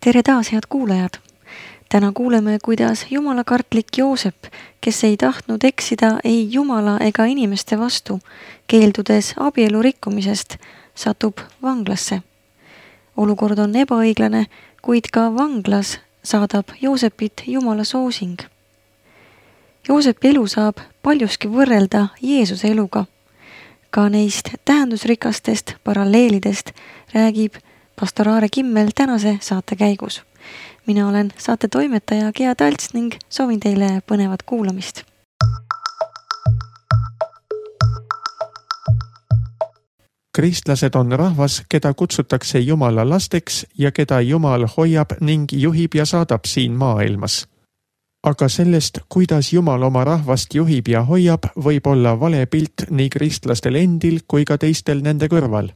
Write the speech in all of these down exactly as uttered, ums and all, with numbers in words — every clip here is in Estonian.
Tere taas, head kuulajad! Täna kuuleme, kuidas jumalakartlik Joosep, kes ei tahtnud eksida ei jumala ega inimeste vastu, keeldudes abielu rikkumisest, satub vanglasse. Olukord on ebaõiglane, kuid ka vanglas saadab Joosepit jumala soosing. Joosepi elu saab paljuski võrrelda Jeesuse eluga. Ka neist tähendusrikastest paralleelidest räägib pastor Aare Kimmel tänase saate käigus. Mina olen saate toimetaja Gea Talts ning soovin teile põnevat kuulamist. Kristlased on rahvas, keda kutsutakse Jumala lasteks ja keda Jumal hoiab ning juhib ja saadab siin maailmas. Aga sellest, kuidas Jumal oma rahvast juhib ja hoiab, võib olla vale pilt nii kristlastel endil kui ka teistel nende kõrval.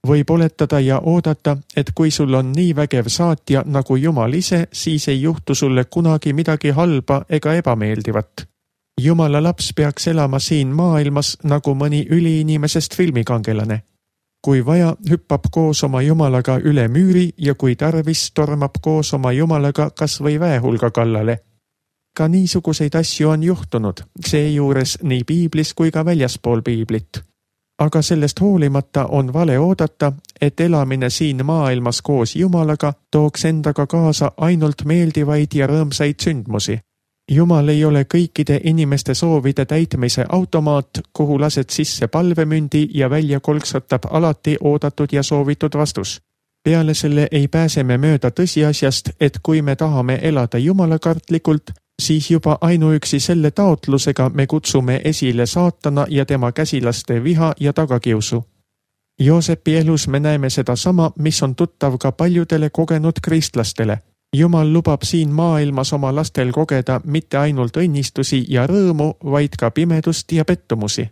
Võib oletada ja oodata, et kui sul on nii vägev saatja nagu Jumal ise, siis ei juhtu sulle kunagi midagi halba ega ebameeldivat. Jumala laps peaks elama siin maailmas nagu mõni üliinimesest filmikangelane. Kui vaja, hüppab koos oma Jumalaga üle müüri ja kui tarvis, tormab koos oma Jumalaga kas või väehulga kallale. Ka niisuguseid asju on juhtunud, seejuures nii piiblis kui ka väljaspool piiblit. Aga sellest hoolimata on vale oodata, et elamine siin maailmas koos Jumalaga tooks endaga kaasa ainult meeldivaid ja rõõmsaid sündmusi. Jumal ei ole kõikide inimeste soovide täitmise automaat, kuhu lased sisse palvemündi ja välja kolksatab alati oodatud ja soovitud vastus. Peale selle ei pääse me mööda tõsiasjast, et kui me tahame elada jumalakartlikult, siis juba ainuüksi selle taotlusega me kutsume esile saatana ja tema käsilaste viha ja tagakiusu. Joosepi elus me näeme seda sama, mis on tuttav ka paljudele kogenud kristlastele. Jumal lubab siin maailmas oma lastel kogeda mitte ainult õnnistusi ja rõõmu, vaid ka pimedust ja pettumusi.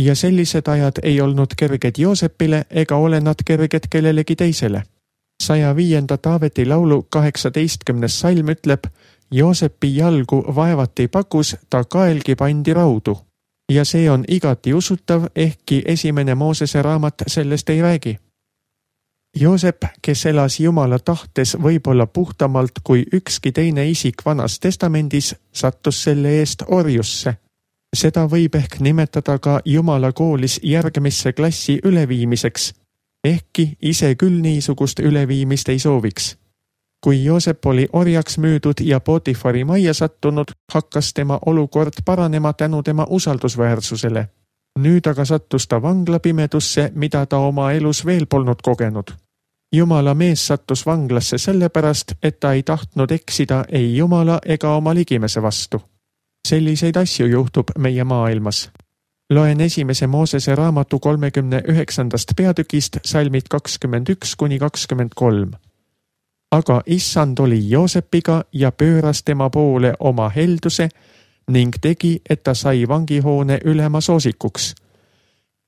Ja sellised ajad ei olnud kerged Joosepile ega ole nad kerged kellelegi teisele. saja viienda Taaveti laulu kaheksateistkümnes salm ütleb, Joosepi jalgu vaevati pakus, ta kaelgi pandi raudu. Ja see on igati usutav, ehkki esimene Moosese raamat sellest ei räägi. Joosep, kes elas Jumala tahtes võib-olla puhtamalt kui ükski teine isik Vanas testamendis, sattus selle eest orjusse. Seda võib ehk nimetada ka Jumala koolis järgmisse klassi üleviimiseks, ehkki ise küll niisugust üleviimist ei sooviks. Kui Joosep oli orjaks müüdud ja Potifari majja sattunud, hakkas tema olukord paranema tänu tema usaldusväärsusele. Nüüd aga sattus ta vanglapimedusse, mida ta oma elus veel polnud kogenud. Jumala mees sattus vanglasse sellepärast, et ta ei tahtnud eksida ei Jumala ega oma ligimese vastu. Selliseid asju juhtub meie maailmas. Loen esimese Moosese raamatu kolmekümne üheksandast peatükist salmid kakskümmend üks kuni kakskümmend kolm. Aga issand oli Joosepiga ja pööras tema poole oma helduse ning tegi, et ta sai vangihoone ülema soosikuks.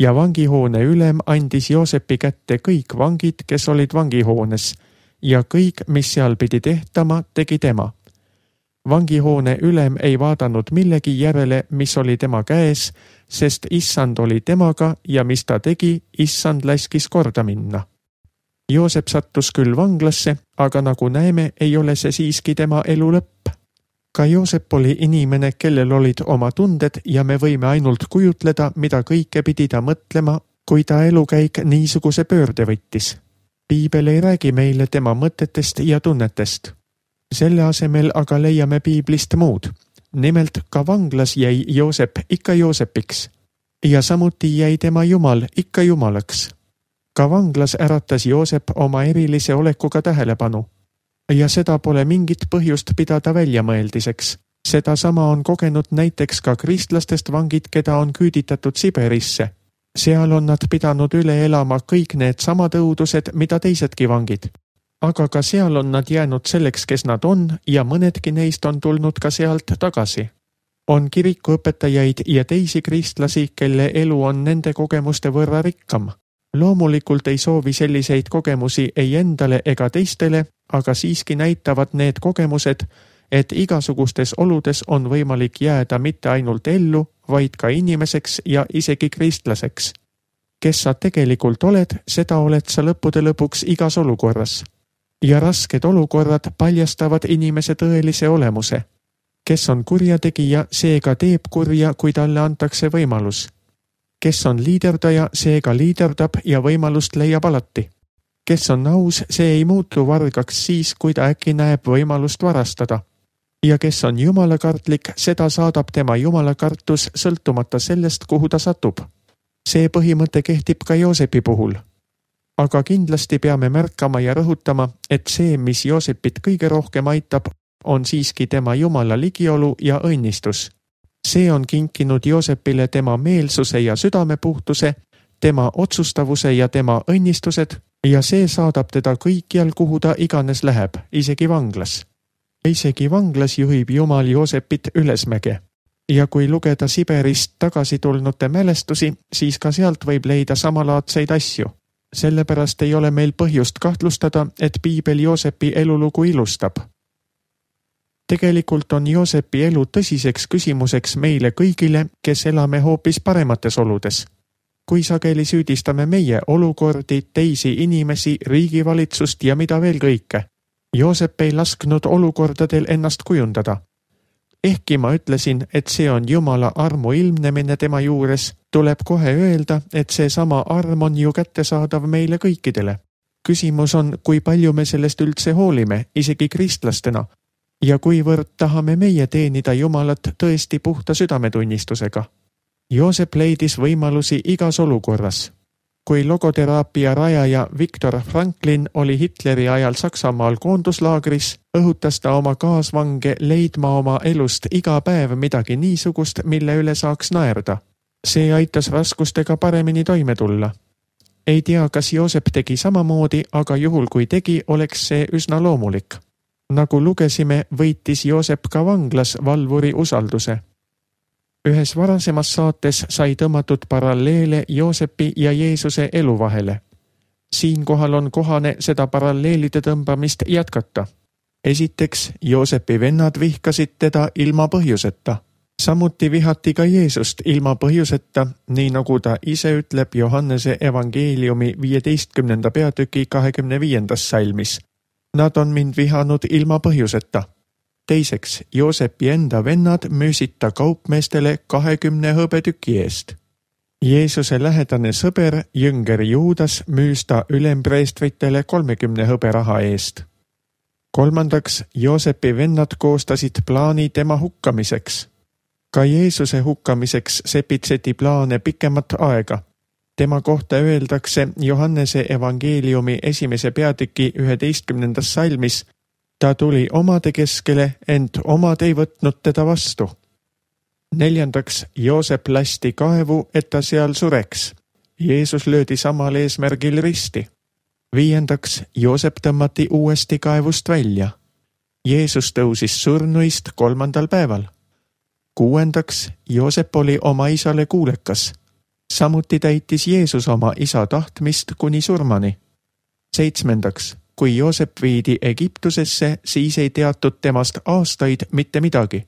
Ja vangihoone ülem andis Joosepi kätte kõik vangid, kes olid vangihoones, ja kõik, mis seal pidi tehtama, tegi tema. Vangihoone ülem ei vaadanud millegi järele, mis oli tema käes, sest issand oli temaga ja mis ta tegi, issand laskis korda minna. Joosep sattus küll vanglasse, aga nagu näeme, ei ole see siiski tema elu lõpp. Ka Joosep oli inimene, kellel olid oma tunded ja me võime ainult kujutleda, mida kõike pidi ta mõtlema, kui ta elukäik niisuguse pöörde võttis. Piibel ei räägi meile tema mõtetest ja tunnetest. Selle asemel aga leiame piiblist muud. Nimelt ka vanglas jäi Joosep ikka Joosepiks ja samuti jäi tema Jumal ikka Jumalaks. Ka vanglas äratas Joosep oma erilise olekuga tähelepanu. Ja seda pole mingit põhjust pidada väljamõeldiseks. Seda sama on kogenud näiteks ka kristlastest vangid, keda on küüditatud Siberisse. Seal on nad pidanud üle elama kõik need samad õudused, mida teisedki vangid. Aga ka seal on nad jäänud selleks, kes nad on, ja mõnedki neist on tulnud ka sealt tagasi. On kirikuõpetajaid ja teisi kristlasi, kelle elu on nende kogemuste võrra rikkam. Loomulikult ei soovi selliseid kogemusi ei endale ega teistele, aga siiski näitavad need kogemused, et igasugustes oludes on võimalik jääda mitte ainult ellu, vaid ka inimeseks ja isegi kristlaseks. Kes sa tegelikult oled, seda oled sa lõppude lõpuks igas olukorras. ja rasked olukorrad paljastavad inimese tõelise olemuse. Kes on kurjategija, seega teeb kurja, kui talle antakse võimalus. Kes on liiderdaja, seega liiderdab ja võimalust leiab alati. Kes on aus, see ei muutu vargaks siis, kui ta äkki näeb võimalust varastada. Ja kes on jumalakartlik, seda saadab tema jumalakartus sõltumata sellest, kuhu ta satub. See põhimõte kehtib ka Joosepi puhul. Aga kindlasti peame märkama ja rõhutama, et see, mis Joosepit kõige rohkem aitab, on siiski tema jumala ligiolu ja õnnistus. See on kinkinud Joosepile tema meelsuse ja südamepuhtuse, tema otsustavuse ja tema õnnistused ja see saadab teda kõikjal, kuhu ta iganes läheb, isegi vanglas. Isegi vanglas juhib Jumal Joosepit ülesmäge. Ja kui lugeda Siberist tagasi tulnute mälestusi, siis ka sealt võib leida samalaadseid asju. Sellepärast ei ole meil põhjust kahtlustada, et piibel Joosepi elulugu ilustab. Tegelikult on Joosepi elu tõsiseks küsimuseks meile kõigile, kes elame hoopis paremates oludes. Kui sageli süüdistame meie olukordi, teisi inimesi, riigivalitsust ja mida veel kõike. Joosep ei lasknud olukordadel ennast kujundada. Ehkki ma ütlesin, et see on Jumala armu ilmnemine tema juures, tuleb kohe öelda, et see sama arm on ju kättesaadav meile kõikidele. Küsimus on, kui palju me sellest üldse hoolime, isegi kristlastena, ja kuivõrd tahame meie teenida Jumalat tõesti puhta südametunnistusega. Joosep leidis võimalusi igas olukorras. Kui logoteraapia rajaja Viktor Franklin oli Hitleri ajal Saksamaal koonduslaagris, õhutas ta oma kaasvange leidma oma elust iga päev midagi niisugust, mille üle saaks naerda. See aitas raskustega paremini toime tulla. Ei tea, kas Joosep tegi samamoodi, aga juhul kui tegi, oleks see üsna loomulik. Nagu lugesime, võitis Joosep ka vanglas valvuri usalduse. Ühes varasemas saates sai tõmmatud paralleele Joosepi ja Jeesuse elu vahele. Siinkohal on kohane seda paralleelide tõmbamist jätkata. Esiteks, Joosepi vennad vihkasid teda ilma põhjuseta. Samuti vihati ka Jeesust ilma põhjuseta, nii nagu ta ise ütleb Johannese evangeeliumi viieteistkümnenda peatüki kahekümne viiendas salmis. Nad on mind vihanud ilma põhjuseta. Teiseks, Joosepi enda vennad müüsid ta kaupmeestele kahekümne hõbetüki eest. Jeesuse lähedane sõber, jünger Juudas, müüs ta ülempreestritele kolmekümne hõberaha eest. Kolmandaks, Joosepi vennad koostasid plaani tema hukkamiseks. Ka Jeesuse hukkamiseks sepitseti plaane pikemat aega. Tema kohta öeldakse Johannese evangeeliumi esimese peatüki üheteistkümnendas salmis, ta tuli omade keskele, ent omad ei võtnud teda vastu. Neljandaks, Joosep lasti kaevu, et ta seal sureks. Jeesus löödi samal eesmärgil risti. Viiendaks, Joosep tõmmati uuesti kaevust välja. Jeesus tõusis surnuist kolmandal päeval. Kuuendaks, Joosep oli oma isale kuulekas. Samuti täitis Jeesus oma isa tahtmist kuni surmani. Seitsmendaks, kui Joosep viidi Egiptusesse, siis ei teatud temast aastaid mitte midagi.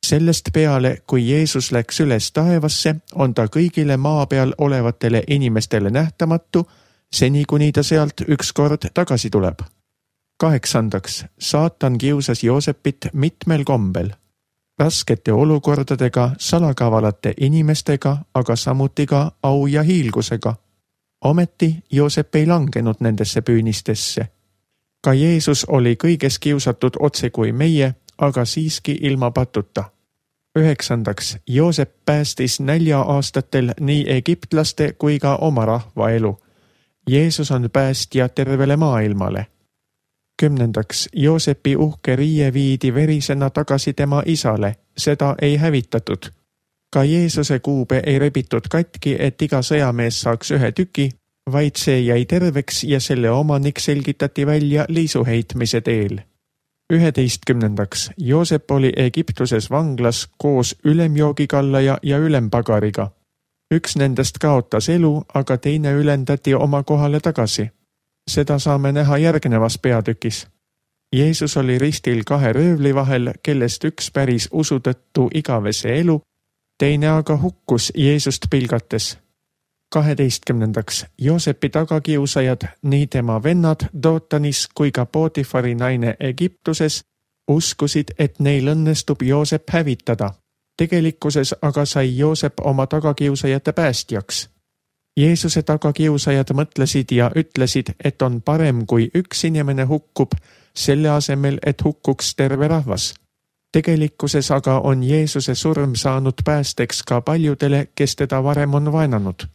Sellest peale, kui Jeesus läks üles taevasse, on ta kõigile maa peal olevatele inimestele nähtamatu, seni kuni ta sealt ükskord tagasi tuleb. Kaheksandaks, saatan kiusas Joosepit mitmel kombel. Raskete olukordadega, salakavalate inimestega, aga samuti ka au ja hiilgusega. Ometi Joosep ei langenud nendesse püünistesse. Ka Jeesus oli kõiges kiusatud otse kui meie, aga siiski ilma patuta. Üheksandaks, Joosep päästis nälja aastatel nii egiptlaste kui ka oma rahva elu. Jeesus on päästja tervele maailmale. Kümnendaks, Joosepi uhke riie viidi verisena tagasi tema isale, seda ei hävitatud. Ka Jeesuse kuube ei rebitud katki, et iga sõjamees saaks ühe tüki, vaid see jäi terveks ja selle omanik selgitati välja liisuheitmise teel. Üheteistkümnendaks, Joosep oli Egiptuses vanglas koos ülemjoogikallaja ja ülempagariga. Üks nendest kaotas elu, aga teine ülendati oma kohale tagasi. Seda saame näha järgnevas peatükis. Jeesus oli ristil kahe röövli vahel, kellest üks päris usu tõttu igavese elu, teine aga hukkus Jeesust pilgates. kaheteistkümnendaks, Joosepi tagakiusajad, nii tema vennad Dootanis kui ka Pootifari naine Egiptuses, uskusid, et neil õnnestub Joosep hävitada. Tegelikkuses aga sai Joosep oma tagakiusajate päästjaks. Jeesuse tagakiusajad mõtlesid ja ütlesid, et on parem, kui üks inimene hukkub, selle asemel, et hukkuks terve rahvas. Tegelikkuses aga on Jeesuse surm saanud päästeks ka paljudele, kes teda varem on vaenanud.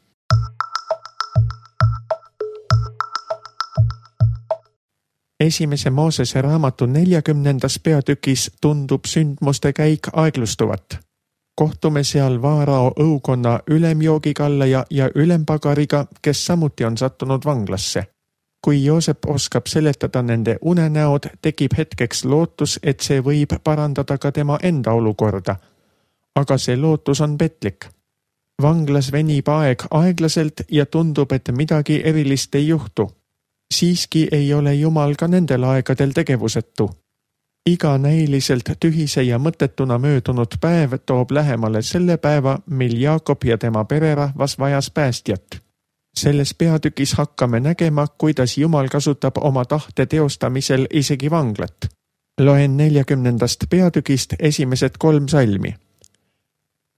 Esimese Moosese raamatu neljakümnendas peatükis tundub sündmuste käik aeglustuvat. Kohtume seal Vaarao õukonna ülemjoogikallaja ja ülempagariga, kes samuti on sattunud vanglasse. Kui Joosep oskab seletada nende unenäod, tekib hetkeks lootus, et see võib parandada ka tema enda olukorda. Aga see lootus on petlik. Vanglas venib aeg aeglaselt ja tundub, et midagi erilist ei juhtu. Siiski ei ole Jumal ka nendel aegadel tegevusetu. Iga näiliselt tühise ja mõttetuna möödunud päev toob lähemale selle päeva, mil Jaakob ja tema pererahvas vajas päästjat. Selles peatükis hakkame nägema, kuidas Jumal kasutab oma tahte teostamisel isegi vanglat. Loen neljakümnendast peatükist esimesed kolm salmi.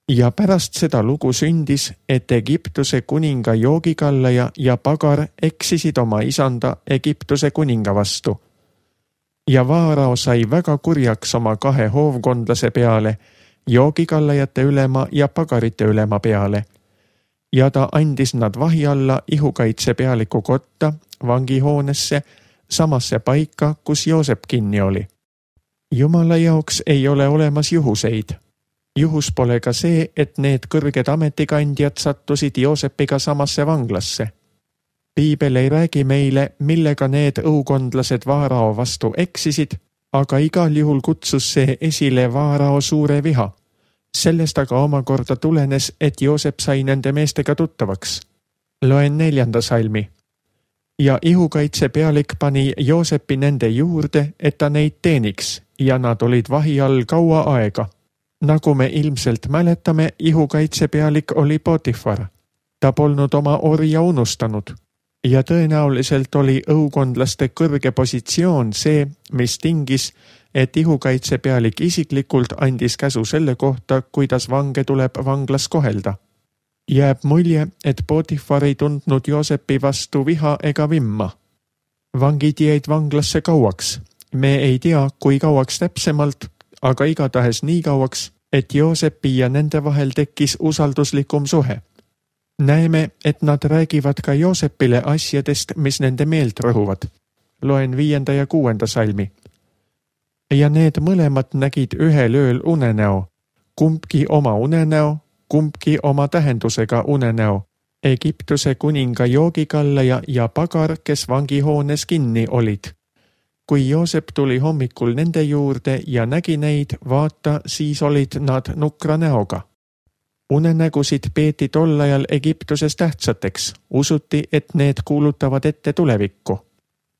Ja pärast seda lugu sündis, et Egiptuse kuninga joogikallaja ja pagar eksisid oma isanda Egiptuse kuninga vastu. Ja Vaarao sai väga kurjaks oma kahe hoovkondlase peale, joogikallajate ülema ja pagarite ülema peale. Ja ta andis nad vahi alla ihukaitse pealiku kotta, vangihoonesse, samasse paika, kus Joosep kinni oli. Jumala jaoks ei ole olemas juhuseid. Juhus pole ka see, et need kõrged ametikandjad sattusid Joosepiga samasse vanglasse. Piibel ei räägi meile, millega need õukondlased Vaarao vastu eksisid, aga igal juhul kutsus see esile Vaarao suure viha. Sellest aga omakorda tulenes, et Joosep sai nende meestega tuttavaks. Loen neljanda salmi. Ja ihukaitse pealik pani Joosepi nende juurde, et ta neid teeniks, ja nad olid vahi all kaua aega. Nagu me ilmselt mäletame, ihukaitse pealik oli Pootifar. Ta polnud oma orja unustanud. Ja tõenäoliselt oli õukondlaste kõrge positsioon see, mis tingis, et ihukaitse pealik isiklikult andis käsu selle kohta, kuidas vange tuleb vanglas kohelda. Jääb mulje, et Pootifar ei tundnud Joosepi vastu viha ega vimma. Vangid jäid vanglasse kauaks. Me ei tea, kui kauaks täpsemalt, aga igatahes nii kauaks, et Joosepi ja nende vahel tekkis usalduslikum suhe. Näeme, et nad räägivad ka Joosepile asjadest, mis nende meelt rõhuvad. Loen viienda ja kuuenda salmi. Ja need mõlemad nägid ühel ööl unenäo, kumbki oma unenäo, kumbki oma tähendusega unenäo, Egiptuse kuninga joogikallaja ja pagar, kes vangihoones kinni olid. Kui Joosep tuli hommikul nende juurde ja nägi neid, vaata, siis olid nad nukra näoga. Unenägusid peeti tol ajal Egiptuses tähtsateks, usuti, et need kuulutavad ette tulevikku.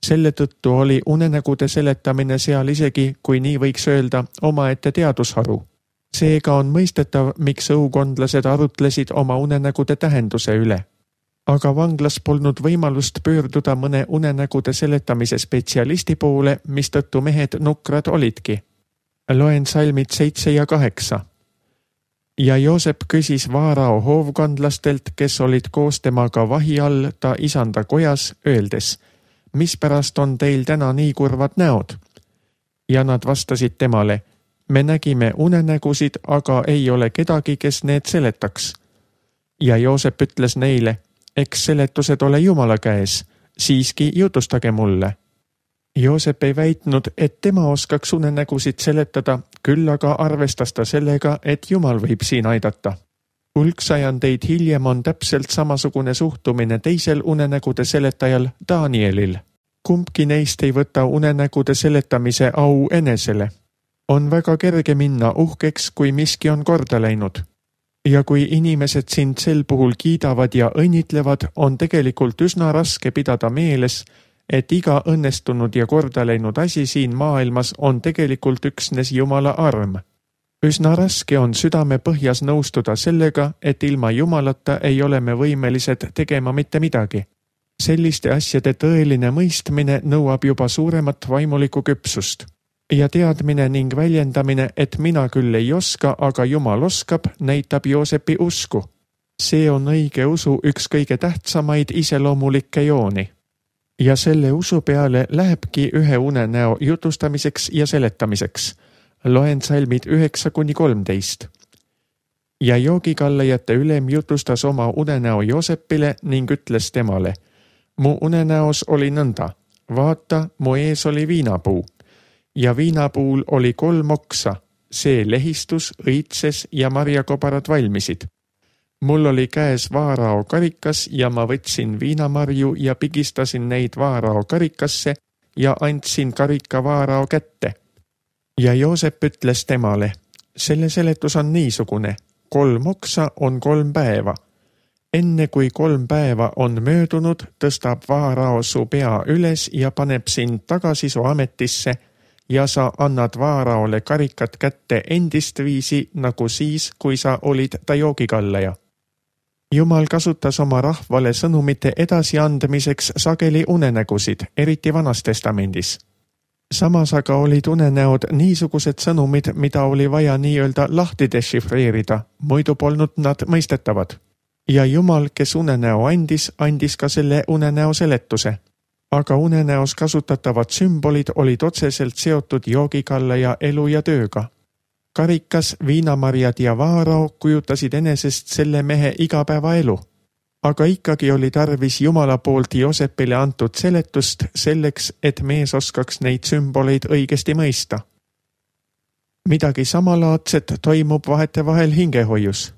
Selle tõttu oli unenägude seletamine seal isegi, kui nii võiks öelda, omaette teadusharu. Seega on mõistetav, miks õukondlased arutlesid oma unenägude tähenduse üle. Aga vanglas polnud võimalust pöörduda mõne unenägude seletamise spetsialisti poole, mistõttu mehed nukrad olidki. Loen salmid seitse ja kaheksa. Ja Joosep küsis Vaarao hoovkondlastelt, kes olid koos temaga vahi all ta isanda kojas, öeldes, mispärast on teil täna nii kurvad näod? Ja nad vastasid temale, me nägime unenägusid, aga ei ole kedagi, kes need seletaks. Ja Joosep ütles neile, eks seletused ole Jumala käes, siiski jutustage mulle. Joosep ei väitnud, et tema oskaks unenägusid seletada, küll aga arvestas ta sellega, et Jumal võib siin aidata. Hulksajandeid hiljem on täpselt samasugune suhtumine teisel unenägude seletajal Danielil. Kumbki neist ei võta unenägude seletamise au enesele. On väga kerge minna uhkeks, kui miski on korda läinud. Ja kui inimesed sind sel puhul kiidavad ja õnnitlevad, on tegelikult üsna raske pidada meeles, et iga õnnestunud ja korda läinud asi siin maailmas on tegelikult üksnes Jumala arm. Üsna raske on südame põhjas nõustuda sellega, et ilma Jumalata ei ole me võimelised tegema mitte midagi. Selliste asjade tõeline mõistmine nõuab juba suuremat vaimulikku küpsust. Ja teadmine ning väljendamine, et mina küll ei oska, aga Jumal oskab, näitab Joosepi usku. See on õige usu üks kõige tähtsamaid iseloomulikke jooni. Ja selle usu peale lähebki ühe unenäo jutustamiseks ja seletamiseks. Loen salmid üheksa kuni kolmteist. Ja joogikallajate ülem jutustas oma unenäo Joosepile ning ütles temale: mu unenäos oli nõnda, vaata, mu ees oli viinapuu. Ja viinapuul oli kolm oksa, see lehistus, õitses ja marjakobarad valmisid. Mul oli käes vaarao karikas ja ma võtsin viinamarju ja pigistasin neid vaarao karikasse ja andsin karika vaarao kätte. Ja Joosep ütles temale: selle seletus on niisugune, kolm oksa on kolm päeva. Enne kui kolm päeva on möödunud, tõstab vaarao su pea üles ja paneb sind tagasi su ametisse ja sa annad vaaraole karikat kätte endist viisi nagu siis, kui sa olid ta joogikallaja. Jumal kasutas oma rahvale sõnumite edasiandmiseks sageli unenägusid, eriti Vanas Testamendis. Samas aga olid unenäod niisugused sõnumid, mida oli vaja nii-öelda lahti dešifreerida, muidu polnud nad mõistetavad. Ja Jumal, kes unenäo andis, andis ka selle unenäo seletuse. Aga unenäos kasutatavad sümbolid olid otseselt seotud joogikallaja elu ja tööga. Karikas, viinamarjad ja vaarao kujutasid enesest selle mehe igapäevaelu. Aga ikkagi oli tarvis Jumala poolt Joosepile antud seletust selleks, et mees oskaks neid sümboleid õigesti mõista. Midagi samalaadset toimub vahetevahel hingehoius.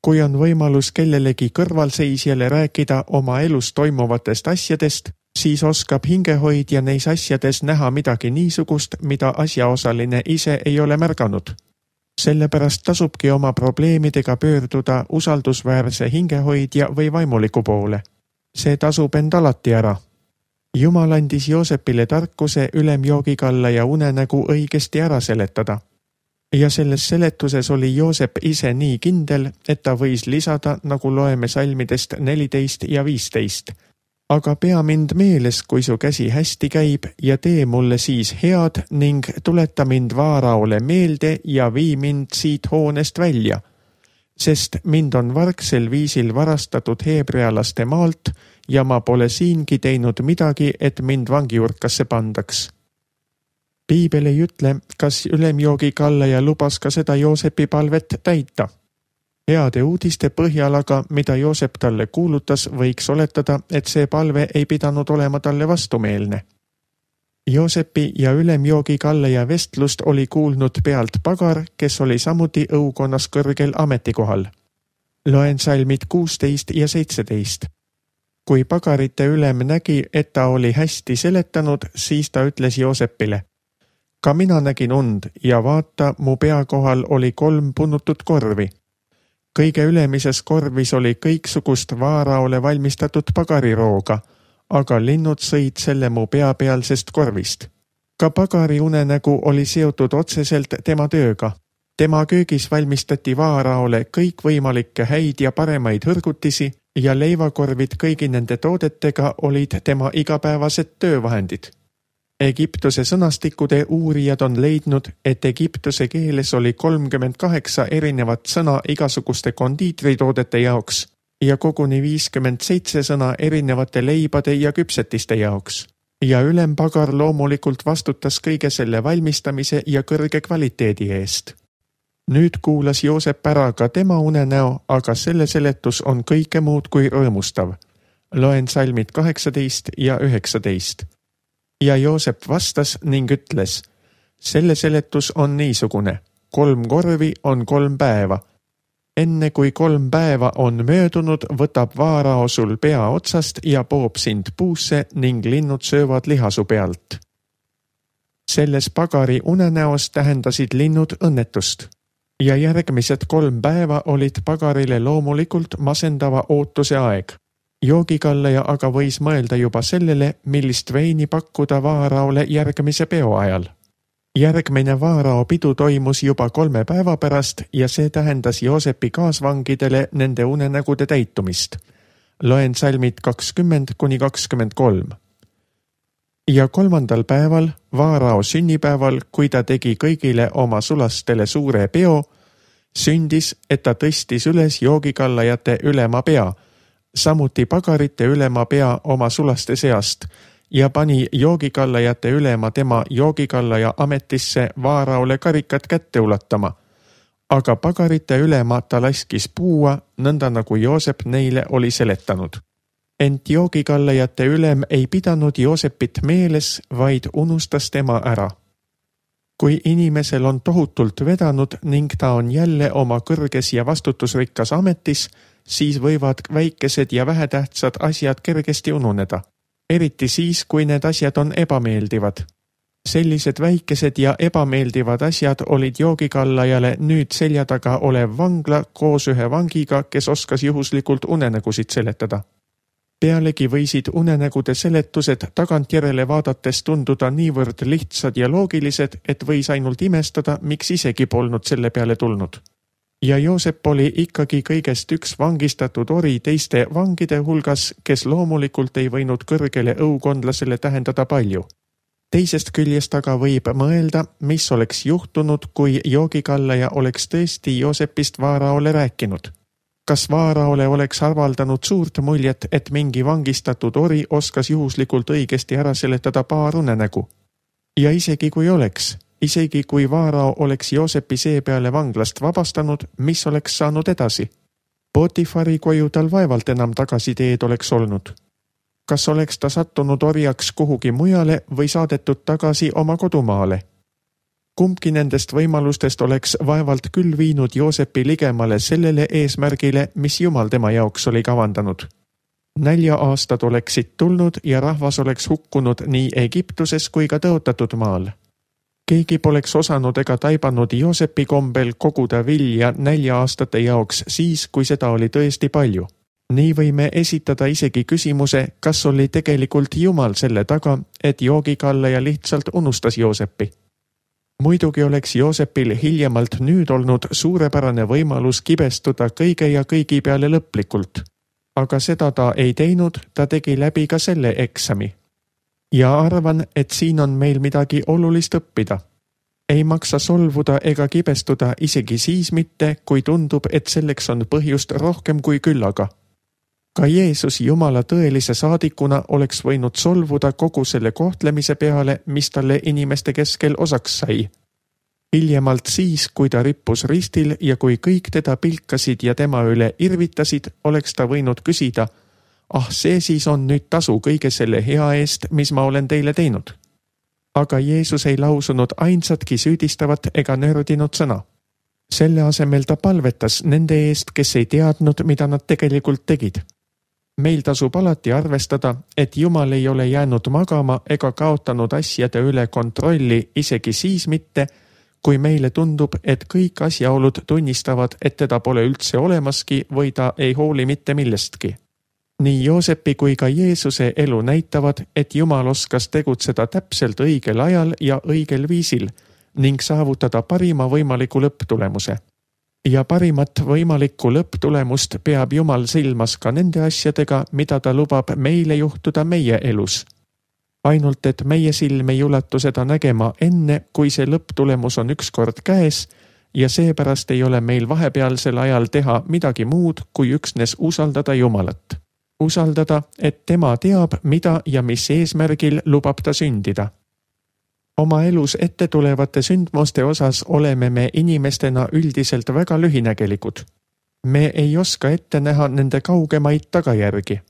Kui on võimalus kellelegi kõrvalseisjale rääkida oma elus toimuvatest asjadest, siis oskab hingehoidja neis asjades näha midagi niisugust, mida asjaosaline ise ei ole märganud. Sellepärast tasubki oma probleemidega pöörduda usaldusväärse hingehoidja või vaimuliku poole. See tasub end alati ära. Jumal andis Joosepile tarkuse ülemjoogikalla ja unenägu õigesti ära seletada. Ja selles seletuses oli Joosep ise nii kindel, et ta võis lisada, nagu loeme salmidest neliteist ja viisteist. Aga pea mind meeles, kui su käsi hästi käib ja tee mulle siis head ning tuleta mind vaaraole meelde ja vii mind siit hoonest välja, sest mind on vargsel viisil varastatud heebrealaste maalt ja ma pole siingi teinud midagi, et mind vangiurkasse pandaks. Piibel ei ütle, kas ülemjoogikallaja lubas ka seda Joosepi palvet täita. Heade uudiste põhjal aga, mida Joosep talle kuulutas, võiks oletada, et see palve ei pidanud olema talle vastumeelne. Joosepi ja ülemjoogikallaja vestlust oli kuulnud pealt pagar, kes oli samuti õukonnas kõrgel ametikohal. Loen salmid kuusteist ja seitseteist. Kui pagarite ülem nägi, et ta oli hästi seletanud, siis ta ütles Joosepile: ka mina nägin und ja vaata, mu pea kohal oli kolm punutud korvi. Kõige ülemises korvis oli kõiksugust vaaraole valmistatud pagarirooga, aga linnud sõid selle mu peapealsest korvist. Ka pagari unenägu oli seotud otseselt tema tööga. Tema köögis valmistati vaaraole kõikvõimalikke häid ja paremaid hõrgutisi ja leivakorvid kõigi nende toodetega olid tema igapäevased töövahendid. Egiptuse sõnastikude uurijad on leidnud, et Egiptuse keeles oli kolmkümmend kaheksa erinevat sõna igasuguste kondiitritoodete jaoks ja koguni viiskümmend seitse sõna erinevate leibade ja küpsetiste jaoks. Ja ülempagar loomulikult vastutas kõige selle valmistamise ja kõrge kvaliteedi eest. Nüüd kuulas Joosep ära ka tema unenäo, aga selle seletus on kõike muud kui rõõmustav. Loen salmid kaheksateist ja üheksateist. Ja Joosep vastas ning ütles: selle seletus on niisugune, kolm korvi on kolm päeva. Enne kui kolm päeva on möödunud, võtab vaarao sul pea otsast ja poob sind puusse ning linnud söövad lihasu pealt. Selles pagari unenäos tähendasid linnud õnnetust. Ja järgmised kolm päeva olid pagarile loomulikult masendava ootuse aeg. Joogikallaja aga võis mõelda juba sellele, millist veini pakkuda vaaraole järgmise peo ajal. Järgmine Vaarao pidu toimus juba kolme päeva pärast ja see tähendas Joosepi kaasvangidele nende unenägude täitumist. Loen salmid kakskümmend kuni kakskümmend kolm. Ja kolmandal päeval, Vaarao sünnipäeval, kui ta tegi kõigile oma sulastele suure peo, sündis, et ta tõstis üles joogikallajate ülema pea, samuti pagarite ülema pea oma sulaste seast ja pani joogikallajate ülema tema joogikallaja ametisse Vaaraole karikat kätte ulatama. Aga pagarite ülema ta laskis puua, nõnda nagu Joosep neile oli seletanud. Ent joogikallajate ülem ei pidanud Joosepit meeles, vaid unustas tema ära. Kui inimesel on tohutult vedanud ning ta on jälle oma kõrges ja vastutusrikkas ametis, siis võivad väikesed ja vähetähtsad asjad kergesti ununeda. Eriti siis, kui need asjad on ebameeldivad. Sellised väikesed ja ebameeldivad asjad olid joogikallajale nüüd selja taga olev vangla koos ühe vangiga, kes oskas juhuslikult unenägusid seletada. Pealegi võisid unenägude seletused tagantjärele vaadates tunduda niivõrd lihtsad ja loogilised, et võis ainult imestada, miks isegi polnud selle peale tulnud. Ja Joosep oli ikkagi kõigest üks vangistatud ori teiste vangide hulgas, kes loomulikult ei võinud kõrgele õukondlasele tähendada palju. Teisest küljest aga võib mõelda, mis oleks juhtunud, kui joogikallaja oleks tõesti Joosepist Vaaraole rääkinud. Kas Vaaraole oleks avaldanud suurt muljet, et mingi vangistatud ori oskas juhuslikult õigesti ära seletada paar unenägu? Ja isegi kui oleks, isegi kui Vaarao oleks Joosepi seepeale vanglast vabastanud, mis oleks saanud edasi? Potifari koju tal vaevalt enam tagasiteed oleks olnud. Kas oleks ta sattunud orjaks kuhugi mujale või saadetud tagasi oma kodumaale? Kumbki nendest võimalustest oleks vaevalt küll viinud Joosepi ligemale sellele eesmärgile, mis Jumal tema jaoks oli kavandanud. Nälja aastad oleksid tulnud ja rahvas oleks hukkunud nii Egiptuses kui ka tõotatud maal. Keegi poleks osanud ega taibanud Joosepi kombel koguda vilja nälja aastate jaoks siis, kui seda oli tõesti palju. Nii võime esitada isegi küsimuse, kas oli tegelikult Jumal selle taga, et joogikallaja lihtsalt unustas Joosepi. Muidugi oleks Joosepil hiljemalt nüüd olnud suurepärane võimalus kibestuda kõige ja kõigi peale lõplikult. Aga seda ta ei teinud, ta tegi läbi ka selle eksami. Ja arvan, et siin on meil midagi olulist õppida. Ei maksa solvuda ega kibestuda isegi siis mitte, kui tundub, et selleks on põhjust rohkem kui küllaga. Ka Jeesus Jumala tõelise saadikuna oleks võinud solvuda kogu selle kohtlemise peale, mis talle inimeste keskel osaks sai. Hiljemalt siis, kui ta rippus ristil ja kui kõik teda pilkasid ja tema üle irvitasid, oleks ta võinud küsida, ah see siis on nüüd tasu kõige selle hea eest, mis ma olen teile teinud. Aga Jeesus ei lausunud ainsatki süüdistavat ega nördinud sõna. Selle asemel ta palvetas nende eest, kes ei teadnud, mida nad tegelikult tegid. Meil tasub alati arvestada, et Jumal ei ole jäänud magama ega kaotanud asjade üle kontrolli isegi siis mitte, kui meile tundub, et kõik asjaolud tunnistavad, et teda pole üldse olemaski või ta ei hooli mitte millestki. Nii Joosepi kui ka Jeesuse elu näitavad, et Jumal oskas tegutseda täpselt õigel ajal ja õigel viisil ning saavutada parima võimaliku lõpptulemuse. Ja parimat võimalikku lõpptulemust peab Jumal silmas ka nende asjadega, mida ta lubab meile juhtuda meie elus. Ainult, et meie silm ei ulatu seda nägema enne, kui see lõpptulemus on ükskord käes ja seepärast ei ole meil vahepealsel ajal teha midagi muud, kui üksnes usaldada Jumalat. Usaldada, et tema teab, mida ja mis eesmärgil lubab ta sündida. Oma elus ette tulevate sündmuste osas oleme me inimestena üldiselt väga lühinägelikud. Me ei oska ette näha nende kaugemaid tagajärgi.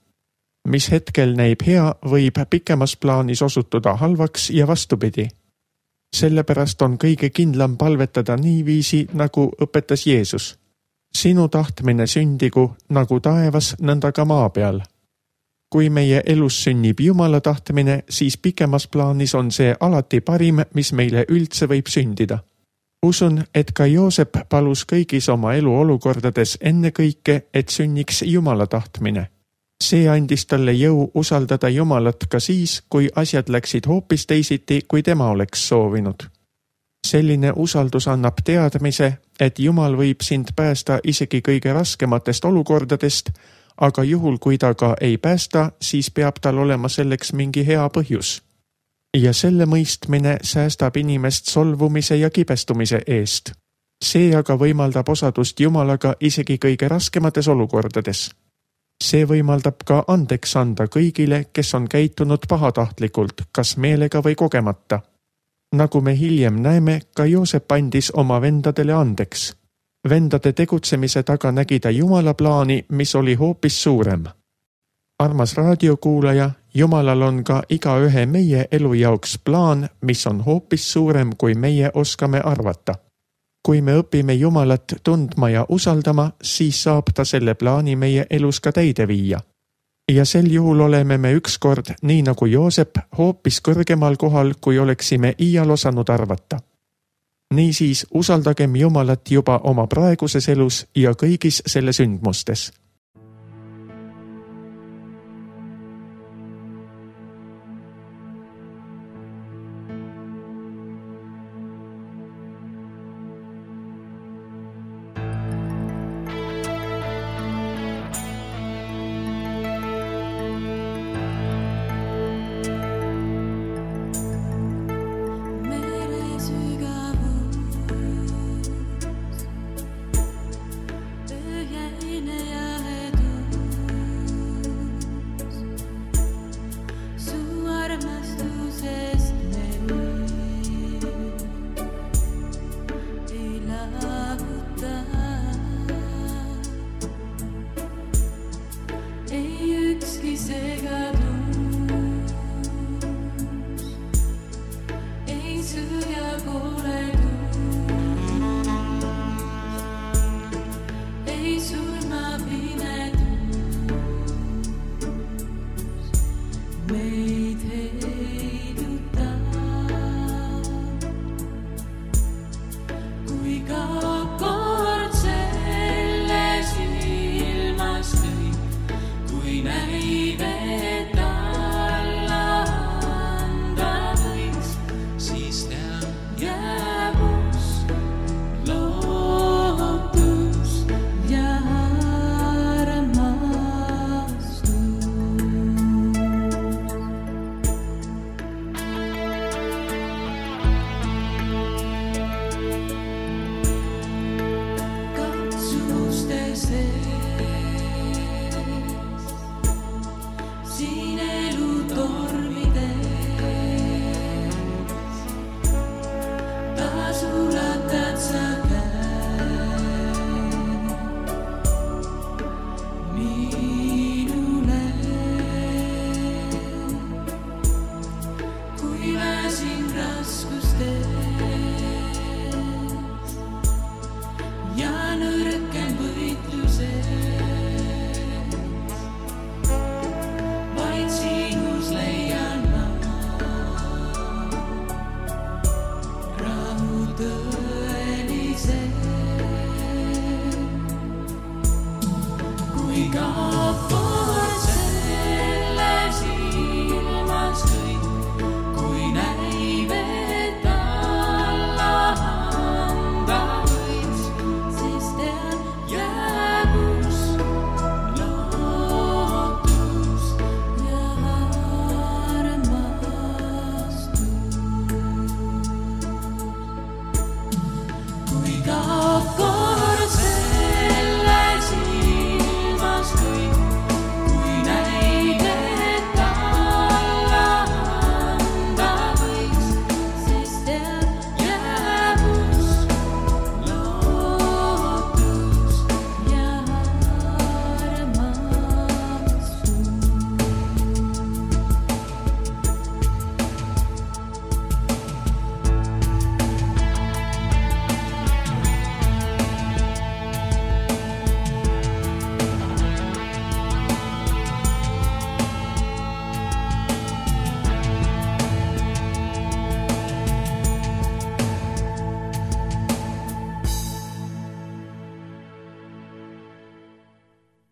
Mis hetkel näib hea, võib pikemas plaanis osutuda halvaks ja vastupidi. Sellepärast on kõige kindlam palvetada niiviisi, nagu õpetas Jeesus. Sinu tahtmine sündigu nagu taevas, nõnda ka maa peal. Kui meie elus sünnib Jumala tahtmine, siis pikemas plaanis on see alati parim, mis meile üldse võib sündida. Usun, et ka Joosep palus kõigis oma elu olukordades ennekõike, et sünniks Jumala tahtmine. See andis talle jõu usaldada Jumalat ka siis, kui asjad läksid hoopis teisiti, kui tema oleks soovinud. selline usaldus annab teadmise, et Jumal võib sind päästa isegi kõige raskematest olukordadest, aga juhul, kui ta ka ei päästa, siis peab tal olema selleks mingi hea põhjus. Ja selle mõistmine säästab inimest solvumise ja kibestumise eest. See aga võimaldab osadust Jumalaga isegi kõige raskemates olukordades. See võimaldab ka andeks anda kõigile, kes on käitunud pahatahtlikult, kas meelega või kogemata. Nagu me hiljem näeme, ka Joosep andis oma vendadele andeks. Vendade tegutsemise taga nägi ta Jumala plaani, mis oli hoopis suurem. Armas raadiokuulaja, Jumalal on ka igaühe meie elu jaoks plaan, mis on hoopis suurem, kui meie oskame arvata. Kui me õpime Jumalat tundma ja usaldama, siis saab ta selle plaani meie elus ka täide viia. Ja sel juhul oleme me ükskord, nii nagu Joosep, hoopis kõrgemal kohal, kui oleksime iial osanud arvata. Niisiis usaldagem Jumalat juba oma praeguses elus ja kõigis selle sündmustes. Go, go.